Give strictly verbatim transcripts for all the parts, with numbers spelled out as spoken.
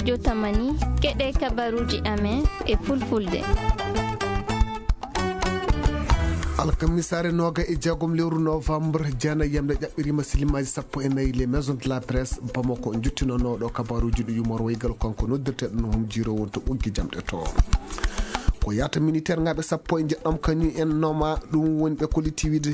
Jotamani, keɗe kabaruuji amen e fulfulde. Alkamisaare nooga e jeegom lewru novembre, jeena yamde ƴaɓɓiriima silimaaji sappo e nayi, les maisons de la presse Bamako, njottinooɗo kabaruuji ɗi yumor waygal kanko noddirteeɗo no hum jiiro won to ɓoggi jamɗe to. Ko yaata militaire-ŋaaɓe sappo e njeɗɗo kañum en noma, ɗum woni ɓe kolliti wiide,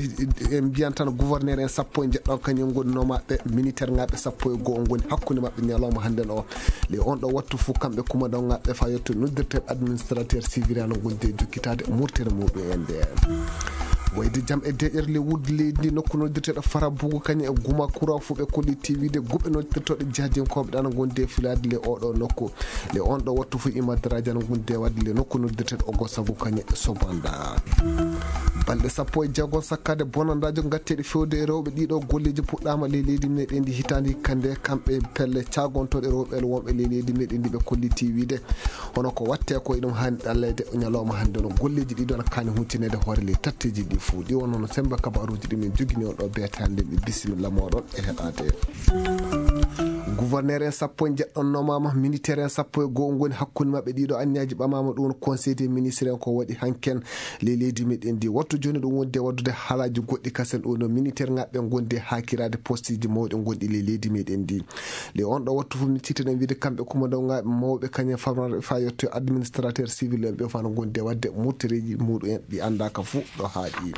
en mbiyan tan gouverneur en sappo e njeɗɗo kañum en ngoni nomaaɓe, militaire-ŋaaɓe sappo e goo ngoni hakkunde maɓɓe ñalawma hannden o. Le on ɗo wattu fof kamɓe kumandaŋaaɓe fa yetto noddirteeɓe administrateur civil ana ngondi e jokkitaade murtere muɗum en nde. Wayde jam e deƴƴere le wudde leydi ndi nokku noddirteeɗo Farabugu kañum e Guma Kura fof ɓe kolliti wiide guɓe noddirtooɗe jihadinkooɓe ɗana ngondi e filaade le oɗo nokku. Le on ɗo wattu fof imadaraaji ana ngondi e waɗde le nokku noddirteeɗo Ogo Sagu kañum e Sobanda. Balɗe sappo e jeego sakkaade bonandaajo ngatteeɗe fewde e rewɓe, ɗiɗo golleeji puɗɗaama ley leydi meɗen ndi hitaande hikka nde, kamɓe pelle caagontooɗe rewɓe wonɓe ley leydi meɗen ndi ɓe kolliti wiide hono ko watte ko eɗum haani ɗallayde ñalawma hannde no golleeji ɗi ɗon kaani huccinaade hoore ley tatteeji ɗi fof. Ɗi wonno no semmbe kabaruuji ɗi min jogini on ɗo beete hannde, mi bisimilla moɗon e heɗaade. Gouverneur en sappo e jeɗɗo nomama, militaire en sappo e goo ngoni hakkunde maɓɓe, ɗiɗo anniyaji ɓamama, ɗum conseil des ministres en ko waɗi hanken ley leydi meɗen ndi. Wattu joni ɗum wonde waddude haalaji goɗɗi kasen ɗum no militaire ngaɓɓe gondi hakirade posteji mawɗi gonɗi ley leydi meɗen ndi. Le on ɗo wattu fof mi cittaɗen wiide kamɓe kumandaŋaaɓe mawɓe kañum famran fa yetto administrateur civil en ɓe fana gondi e wadde murtereji muɗum en ɗi andaka fof ɗo haaɗi.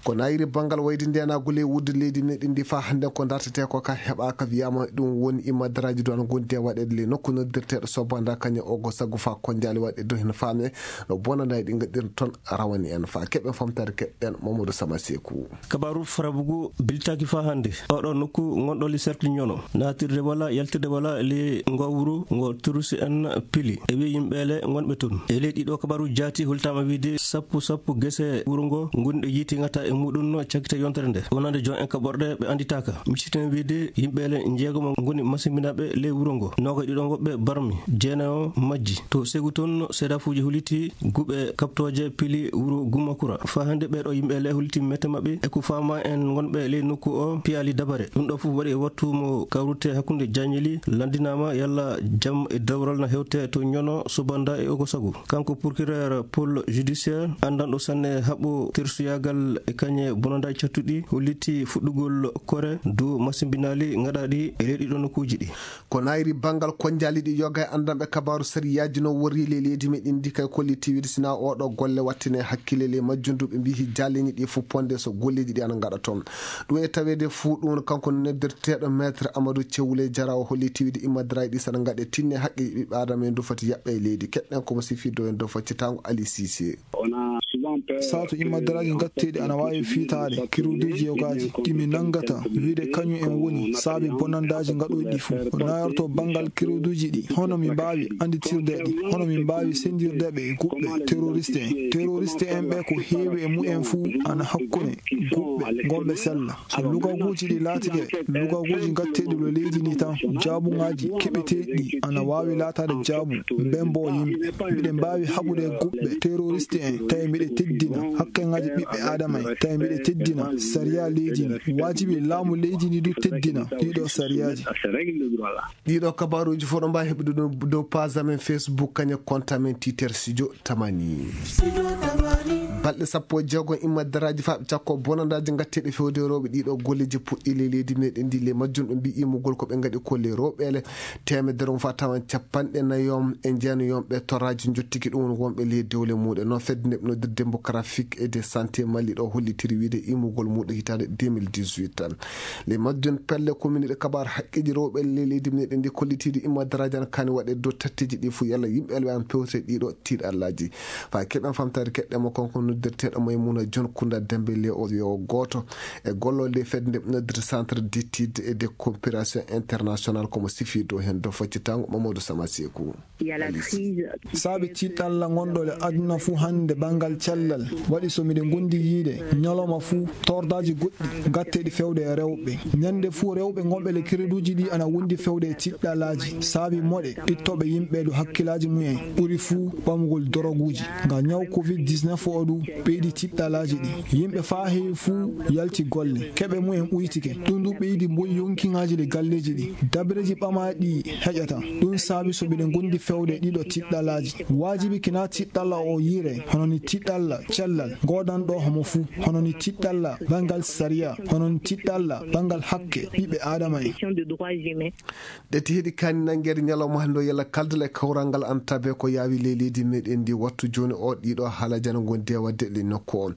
Ko nayiri banngal wayde ndenaagu ley wudde leydi meɗen ndi fa hannde ko dartetee ko ka heɓaaka, wiyaama ɗum woni imadaraaji ɗo ana ngondi e waɗeede ley nokku noddirteeɗo Sobanda kañum o go sago fa konjaali waɗde dow hino faame no bonanaaji ɗi ngaɗirta toon rawani en fa keɓen famtaade keɓɗen Mamadou Sama Seku. Kabaru Farabugu biltaaki fa hannde oɗo nokku ngonɗo le cercle Ñono, naatirde wala yaltirde wala le ngo wuro ngo turusi en pili e wi yimɓeele ngonɓe toon. E ley ɗiɗo kabaru jaati hultaama wiide sappo sappo gese wuro ngo ngonɗe yiiti ngata e muɗum no cakkite yontere nde. Wonande jon en kaɓorɗe ɓe annditaaka. Micciten wiide yimɓeele njeegomo ngoni masimbinaaɓe ley wuro ngo. Nooga ɗiɗo ngo ɓe barmi, jeenayo majji. To Segu toon, seedafuuji huliti guɓe kaɓtooje pili wuro Gumakura. Fa hannde ɓeeɗo yimɓeele huliti mette maɓɓe e ko faama en ngonɓe ley nokku o piyaali dabare. Ɗum ɗo fof waɗi e wattu mo kawrute hakkunde jañeli lanndinaama yalla jam e dawral na hewte to Ñono, Sobanda e Ogosagu. Kanko procureur pôle judiciaire anndanɗo sanne haɓɓo tersuyagal e kañe bonandaaji cattuɗi holliti fuɗɗugol kore dow masimbinaali ngaɗaaɗi e ley ɗiɗo nokkuuji ɗi. Ko nayri banngal konnjaali ɗi yoga e anndanɓe kabaaru sariyaaji no worri ley leydi meɗen ndi kay kolliti wiide sina oɗo golle wattine hakkille ley majjum du ɓe mbiyi jaalini ɗi fof ponde so golleeji ɗi ana ngaɗa toon. Ɗum e taweede fuu ɗum kanko noddirteeɗo maître Amadou Thiaw Wuley Jara o holliti wiide imadaraaji ɗi sana ngaɗe tinne haqqe ɓiɓɓe aadama en du foti yaɓɓe e leydi. Keɗɗen komo sifi dow en dow faccitaango Ali Cissé. Saatu imadaraaji ngatteeɗi ana waawi fiitaade kiruuduuji yogaaji ɗi mi nanngata wiide kañum en woni saabi bonandaaji ngaɗooji ɗi fof. Ko nayorto banngal kiruuduuji ɗi hono mi mbaawi annditirde ɗi, hono mi mbaawi senndirde ɓe e guɓɓe teroriste en. Teroriste en ɓe ko heewi e mumen fuu ana hakkunde guɓɓe ngonɓe sella. So lugaguuji ɗi laatike lugaguuji ngatteeɗi ɗo leydi ndi tan, jaabuŋaaji keɓeteeɗi ɗi ana waawi laataade jaabu mbembo yimɓe. Miɗen mbaawi haɓude guɓɓe teroriste en tawi miɗe teddina hakkeŋaaji ɓiɓɓe aadama en, tawi miɗe teddina sariya leydi ndi. Waajibi laamu leydi ndi du teddina ɗiɗo sariyaaji. Ɗiɗo kabaaruuji fof ɗo mbaawi heɓude ɗum dow page amen Facebook kañum e compte amen Twitter Studio Tamani. Balɗe sappo e jeegom immadaraaji faaɓe cakko bonandaaji ngatteeɗi fewde rewɓe ɗiɗo golleeji puɗɗi ley leydi meɗen ndi. Ley majjum ɗo mbi imugol ko ɓe ngaɗi ko ley rewɓeele teemedere on fa tawan capanɗe nayom e jeenayom ɓe toraaji njottiki ɗum woni wonɓe ley dewle muɗum. Noon fedde nde ɓe noddir démographique et de santé Mali ɗo hollitiri wiide imugol muɗum hitaande deux mille dix-huit. Ley majjum pelle commune ɗe kabaar haqqeeji rewɓe ley leydi meɗen ndi kollitiiɗi immadaraaji ana kaani waɗe dow tatteeji ɗi fof yalla yimɓe elɓe an pewte ɗiɗo tiiɗallaaji. Faa keɓen famtaade keɗɗe mo kanko noddirteeɗo Maymuna Jon Kunda Dembe le o yo gooto e gollooɗe fedde nde noddirta Centre d'études et de coopération internationale komo sifi dow heen dow faccitango Mamadou Sama Seku. Saabi tiiɗalla ngonɗo le aduna fuu hannde banngal cellal waɗi so miɗe ngondi yiide ñalawma fuu tordaaji goɗɗi ngatteeɗi fewde e rewɓe. Ñannde fuu rewɓe ngonɓe le kereduuji ɗi ana wondi fewde e tiiɗɗalaaji saabi moɗe ittooɓe yimɓe ɗo hakkillaaji mumen ɓuri fuu ɓamugol doroguuji. Nga ñaw covid dix-neuf o du ɓeydi tiɗɗalaaji ɗi. Yimɓe faa heewi fuu yalti golle. Keɓe mumen ɓuytike. Ɗum du ɓeydi mboyi yonkiŋaaji ɗi galleeji ɗi. Dabareeji ɓamaaɗi heƴata. Ɗum saabi so miɗen ngondi fewde ɗiɗo tiɗɗalaaji. Waajibi kinaa tiɗɗalla o yiire, hono ni tiɗɗalla cellal, goodanɗo homo fuu, hono ni tiɗɗalla banngal sariya, hono ni tiɗɗalla banngal hakke ɓiɓɓe Aadama en. Ɗe tihiɗi kaani nanngeede ñalawma hannde o, yalla kaldal e kawral ngal ana tabe ko yaawi ley leydi meɗen ndi. Wattu jooni o, ɗiɗo haalaaji ana ngondi e waɗde e nokku o.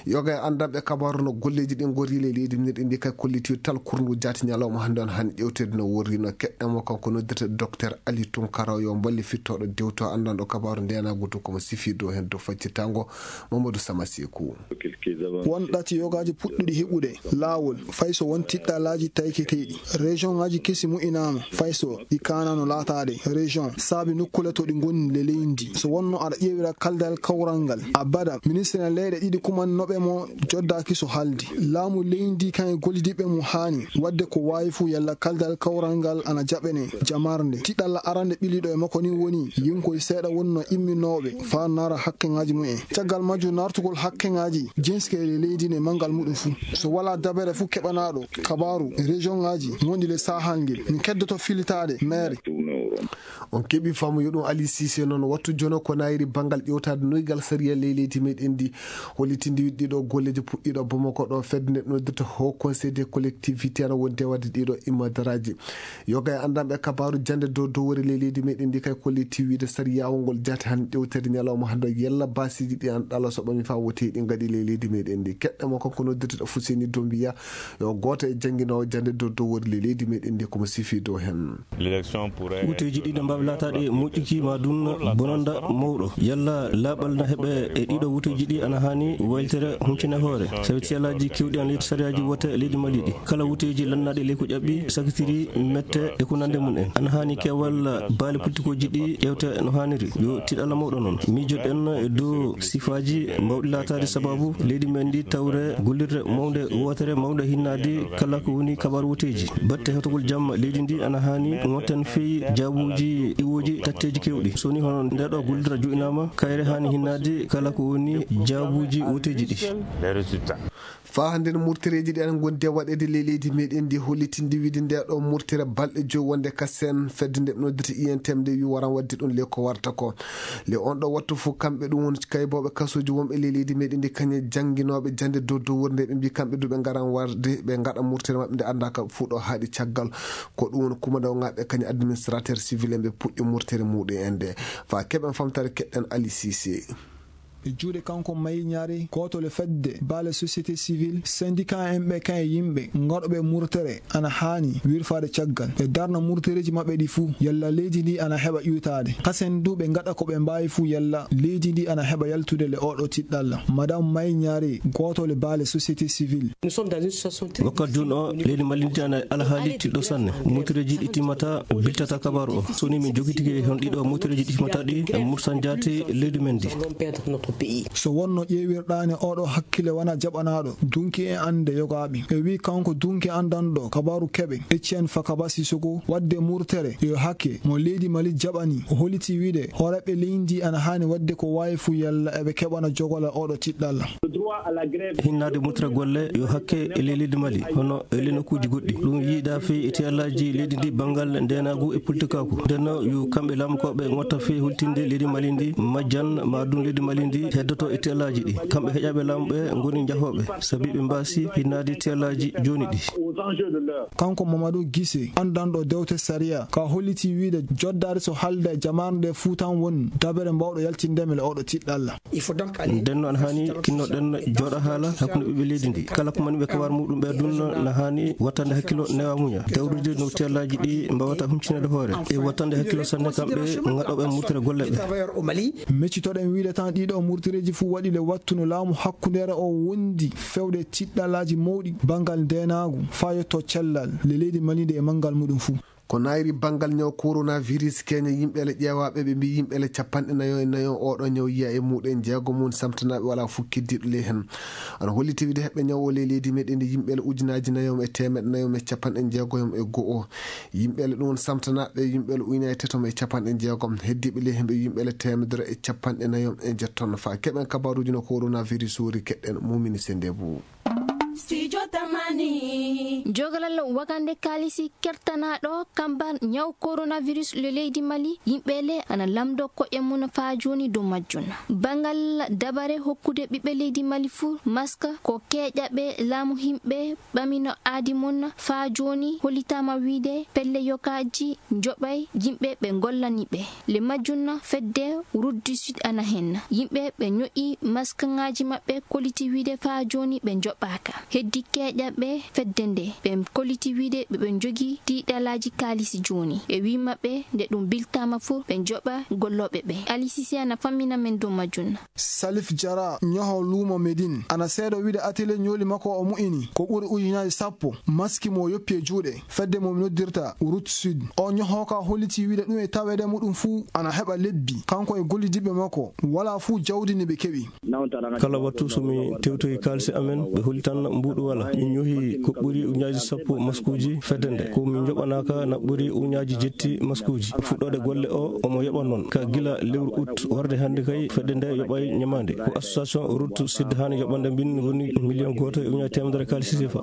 Yoga e anndanɓe kabaaru no golleeji ɗi ngorri ley leydi meɗen ndi kay kolliti tal kurngu jaati ñalawma hannde on hani ƴewteede no worri no keɗɗamo kanko noddirte Docteur Ali Tunkara yo mballe fittooɗo dewto anndanɗo kabaaru ndenaagu to komo sifi dow heen dow faccitaango Mamadou Sama Seku. Won ɗati yogaaji puɗɗuɗi heɓude laawol, fay so won tiɗɗalaaji tayketeeɗi. Région ŋaaji kesi moƴƴinaama, fay so ɗi kaanano laataade région, saabi nokkuule to ɗi ngoni le leydi. So wonno aɗa ƴeewira kaldal kawral ngal, abada, ministre leyɗe ɗiɗi kumannoɓe mo joddaaki so haaldi. Laamu leydi kan e gollidiiɓe mo haani waɗde ko waawi fuu yalla kaldal kawral ngal ana jaɓene jamarnde. Tiɗɗalla arande ɓiliɗo e makko ni woni yinkoy seeɗa wonno imminooɓe faa nara hakkeŋaaji mumen. Caggal majjum naartugol hakkeŋaaji jinske e leydi ne manngal muɗum fuu. So walaa dabere fuu keɓanaaɗo kabaaru, région ŋaaji wonɗi le saahal ngel, min keddoto filitaade maire. On keɓi faamu yo ɗum Ali Cissé noon wattu jono ko naayiri banngal ƴewtaade noygal sariya ley leydi meɗen ndi. Hollitindi ɗiɗo golleeji puɗɗiiɗo Bamako ɗo fedde nde noddirta Haut Conseil des collectivités ana wonde waɗde ɗiɗo imadaraaji. Yoga e anndanɓe kabaaru jannde dow dowori ley leydi meɗen ndi kay kolliti wiide sariyaawo ngol jaati han ƴewtere ñalawma hannde yalla baasiiji ɗi an ɗala so ɓami faa woti ɗi ngaɗi ley leydi meɗen ndi. Keɗɗe mo kanko noddirteɗo Fuseni Dombiya yo gooto e jannginoowo jannde dow dowori ley leydi meɗen ndi komo sifi dow heen. Wuteeji ɗiɗi mbaawi laataade moƴƴuki ma ɗum bonanda mawɗo. Yalla laaɓal na heɓe e ɗiɗo wuteeji ɗi ana haani waylitere huncine hoore. Sabi siyalaaji kewɗi ana leydi sariyaaji wote leydi Mali ɗi. Kala wuteeji lannaaɗi ley ko ƴaɓɓi, sakitiri, mette e ko nande mum en. Ana haani keewal baali politikooji ɗi ƴeewte no haaniri. Yo tiɗalla mawɗo noon. Miijoɗen e dow sifaaji mbawɗi laataade sababu leydi men ndi tawre gollirde mawnde wootere mawnde hinnaade kala ko woni kabaru wuteeji. Batte hewtogol jamma leydi ndi ana haani wonten fii jaabuuji iwooji tatteeji kewɗi. So ni hono nde ɗo gollirde joɗɗinaama, kayre haani hinnaade kala ko woni jaabuuji wuteeji ɗi. Faa hannde no murtereeji ɗi ana ngondi e waɗeede ley leydi meɗen ndi hollitinde wiide nde ɗo murtere balɗe joyi wonde ka seen fedde nde ɓe noddirta I N T M nde wi waran waɗde ɗum le ko warta ko. Le on ɗo wattu fof kamɓe ɗum woni kaybooɓe kasuuji wonɓe ley leydi meɗen ndi kañe jannginooɓe jannde dow dow wurnde ɓe mbi kamɓe du ɓe ngaran warde ɓe ngaɗa murtere maɓɓe nde annda ka fuu ɗo haaɗi caggal. Ko ɗum woni kumandaw ngaɓe kañe administrateur civil en ɓe puɗɗi murtere muɗum en nde. Faa keɓen famtare keɗɗen Ali Cissé. E juuɗe kanko Mayi Ñaare, gooto le fedde baale société civile, syndicat en ɓe kan e yimɓe ngaɗooɓe murtere ana haani wirfaade caggal. Ɓe darna murtereeji maɓɓe ɗi fuu, yalla leydi ndi ana heɓa iwtaade. Kasen du ɓe ngaɗa ko ɓe mbaawi fuu, yalla leydi ndi ana heɓa yaltude le oɗo tiɗɗalla. Madame Mayi Ñaare, gooto le baale société civile. Wakkat jooni o, leydi Mali ndi ana alhaali tiɗɗo sanne. Murtereeji ɗi timmata, biltata kabaru o. So ni min jogitike hon ɗiɗo murtereeji ɗi timmata ɗi, e mursan jaati leydi men ndi. So wonno ƴeewirɗaani oɗo hakkille wona jaɓanaaɗo, dunki e annde yogaaɓe. E wi kanko dunki anndanɗo kabaru keɓe, Etienne Fakaba Sissoko, waɗde murtere yo hakke mo leydi Mali jaɓani. O holliti wiide, hooreeɓe leydi ana haani waɗde ko waawi fuu yalla eɓe keɓana jogola oɗo tiɗɗalla. Hinnaade mutra golle yo hakke e ley leydi Mali, hono e ley nokkuuji goɗɗi. Ɗum yiida fii e tiyallaaji leydi ndi banngal ndeenaagu e politikaaku. Nden no yo kamɓe laamukooɓe ngotta fii hultinde leydi Mali ndi, majjan ma ɗum leydi Mali ndi heddoto e tiyallaaji ɗi. Kamɓe heƴaaɓe laamu ɓe ngoni njahooɓe, sabi ɓe mbaasi hinnaade tiyallaaji jooni ɗi. Kanko Mamadou Gise, anndanɗo dewte sariya, ka holliti wiide joddaade so haalda e jamaare nde fuu tan won dabere mbawɗo yaltinde men e oɗo tiɗɗalla. Nden noon haani tinnoɗen jooɗa haala hakkunde ɓiɓɓe leydi ndi. Kala ko mani ɓe kabar muɗum ɓe dun na haani wattande hakkilo newa muña. Dawrude no tiyallaaji ɗi mbawata humcinede hoore. E wattande hakkilo sanne kamɓe ngaɗoɓe murtere golle ɓe. Meccitoɗen wiide tan ɗiɗo murtereeji fuu waɗi le wattu no laamu hakkundeere o wondi fewde tiɗɗalaaji mawɗi banngal ndeenaagu faa yotto cellal le leydi Mali ndi e manngal muɗum fuu. Ko naayri banngal ñaw coronavirus, keña yimɓe le ƴeewaaɓe, ɓe mbiyi yimɓe le capanɗe nayo e nayo oo ɗoo ñaw yiya e muɗen, jeego mum samtanaaɓe, walaa fof keddiiɗo ley heen. Ana holliti wide heɓɓe ñaw o ley leydi meɗen ndi yimɓe le ujunaaji nayo e teemeɗe nayo e capanɗe jeego e go'o. Yimɓe le ɗum samtanaaɓe, yimɓe le ujunaaji tato e capanɗe jeegom. Heddiiɓe ley heen ɓe yimɓe le teemedere e capanɗe nayo e jeetto. Faa keɓen kabaaruuji no coronavirus wori, keɗɗen Mumini Sendebu. Studio Tamani. Jogalal wakande kaalisi kertanaaɗo kamban ñaw coronavirus le leydi Mali, yimɓe le ana lamndo ko'e mum faa jooni dow majjum. Bangal dabare hokkude ɓiɓɓe leydi Mali fuu maska ko keeƴaɓe laamu himɓe ɓamino aadi mum faa jooni hollitaama wiide pelle yokaaji njoɓay yimɓe ɓe ngollani ɓe. Le majjum fedde Route du Sud ana heen. Yimɓe ɓe ño'i maskaŋaaji maɓɓe kolliti wiide faa jooni ɓe njoɓaaka. Heddi keeƴaɓe fedde nde ɓe kolliti wiide ɓe ɓe njogii tiiɗalaaji kaalisi jooni. Ɓe wi'i maɓɓe nde ɗum biltaama fuu ɓe njoɓa gollooɓe ɓe. Alisi si ana fammina men dow majjum. Salif Jara, ñoho luumo Medin, ana seedo wiide atelier ñooli makko o mu'ini ko ɓuri ujunaaji sappo maski mo yoppi e juuɗe fedde mo noddirta Route Sud. O ñoho ka holliti wiide ɗum e taweede muɗum fuu ana heɓa lebbi, kanko e gollidiiɓe makko, walaa fuu jawdi ndi ɓe keɓi. Kala wattu so mi tewtoyi kaalisi amen, ɓe hollitan mbuuɗu walaa. Min ñohi ko ɓuri ujunaaji sappo maskuuji fedde nde. Ko min njoɓanaaka na ɓuri ujunaaji jetti maskuuji. Fuɗɗoode golle o, omo yoɓa noon. Ka gila lewru août warde hannde kay, fedde nde yoɓay ñamaande. Ko association Route Sud haani yoɓande min woni million gooto e ujunaaji teemedere kaalisi sefa.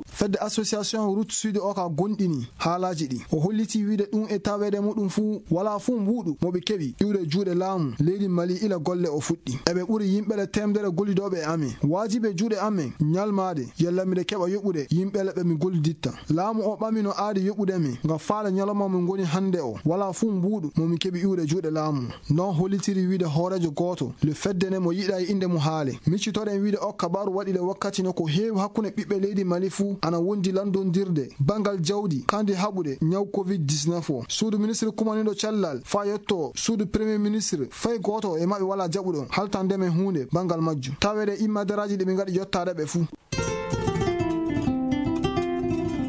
Fedde association Route Sud o ka gonɗini haalaaji ɗi. O holliti wiide ɗum e taweede muɗum fuu, walaa fuu mbuuɗu mo ɓe keɓi iwde juuɗe laamu leydi Mali ila golle o fuɗɗi. Eɓe ɓuri yimɓe le teemedere gollidooɓe e amen. Waajibi e juuɗe amen ñalmaade yalla miɗe keɓa yoɓude yimɓe le ɓe mi golliditta. Laamu o ɓamino aadi yoɓude mi ngam faale ñalawma mo ngoni hannde o. Walaa fuu mbuuɗu mo mi keɓi iwde juuɗe laamu. Non hollitiri wiide hooreejo gooto le fedde nde mo yiɗaay innde mum haale. Miccitoɗen wiide o kabaaru waɗi le wakkati no ko heewi hakkunde ɓiɓɓe leydi Mali fuu ana wondi lanndondirde banngal jawdi kandi haɓude ñaw covid dix-neuf o. Suudu ministre kumaniiɗo cellal faa yotto suudu premier ministre, fay gooto e maɓɓe walaa jaɓuɗo haltande men huunde banngal majjum. Taweede immadaraaji ɗi ɓe ngaɗi yottaade ɓe fuu.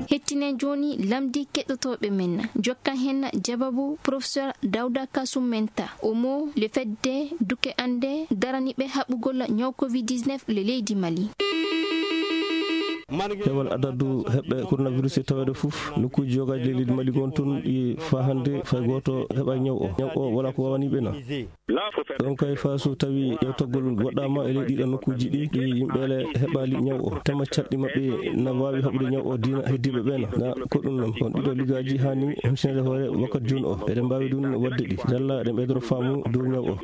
Hettinen jooni lamndi keɗotooɓe men. Jokkan heen jababu Professeur Dawda Kasum Menta. O mo le fedde duke annde daraniiɓe haɓugol ñaw covid dix-neuf le leydi Mali. Heewal adadu heɓɓe coronavirus e taweede fof, nokkuuji yogaaji le leydi Mali ngon toon ɗi faa hannde fay gooto heɓa ñaw o. Ñaw o walaa ko waawani ɓe na. Ɗon kay faa so tawi ƴeewtagol waɗaama e ley ɗiɗo nokkuuji ɗi, ɗi yimɓe le heɓaali ñaw o. Tema calɗi maɓɓe na waawi haɓude ñaw o diina heddiiɓe ɓe na. Na ko ɗum noon. On ɗiɗo ligaaji haani humpsinede hoore wakkati jooni o. Eɗen mbaawi ɗum waɗde ɗi. Yalla eɗen ɓeydoro faamu dow ñaw o.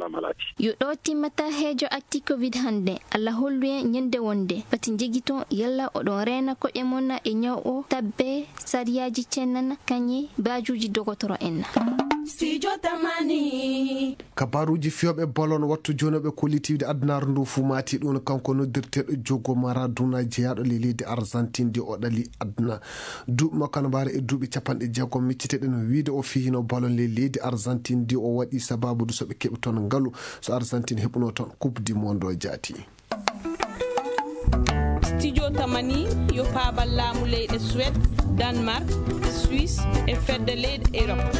Yo ɗo timmata heejo acti covid hannde. Allah hollu en ñande wonde. Pati njegiton yalla oɗon reena koƴe mon e ñaw o. Tabbe sariyaaji cennana kañe baajuuji dogotoro en. Studio Tamani. Kabaaruuji fiyooɓe ballon wattu jooni ɓe kolliti wiide adunaaru ndu fuu maati ɗum kanko noddirteeɗo Diogo Maradona jeyaaɗo le leydi Argentine ndi o ɗali aduna. Duuɓi makko ana mbaara e duuɓi capanɗe jeegom. Micciteɗen wiide o fiyino ballon le leydi Argentine ndi o waɗi sababu du so ɓe keɓi toon ngalu so Argentine heɓuno toon Coupe du Monde o jaati. Studio Tamani yo paabal laamu leyɗe Suède, Danemark, Suisse e fedde leyɗe Europe.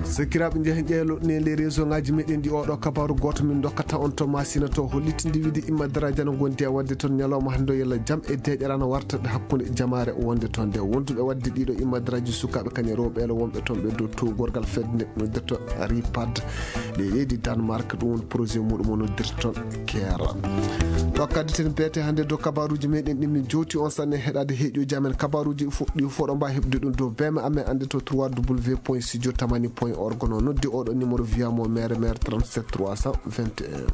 Sakiraaɓe, njehen ƴeelo ne les réseau ngaji meɗen ɗi oɗo kabaaru gooto min dokkata on to Masina to hollitinde wiide immadaraaji ana ngondi e waɗde toon ñalawma hannde o yalla jam e deeƴere ana warta hakkunde jamaare wonde toon nde. Wonduɓe waɗde ɗiɗo immadaraaji sukaaɓe kañe rewɓe ele wonɓe toon ɓe dow towgorgal fedde nde noddirta ripad. Ley leydi Danemark, ɗum woni projet muɗum o noddirta toon keera. Ɗo kadditen beete hannde dow kabaaruuji meɗen ɗi min jowti on sanne heɗaade heeƴuuji amen. Kabaaruuji fof ɗi fof ɗo mbaa heɓde ɗum dow beme amen annde to trois w point studio tamani point org no noddi oɗo numéro viyamo mere mere trente-sept trois cent vingt et un.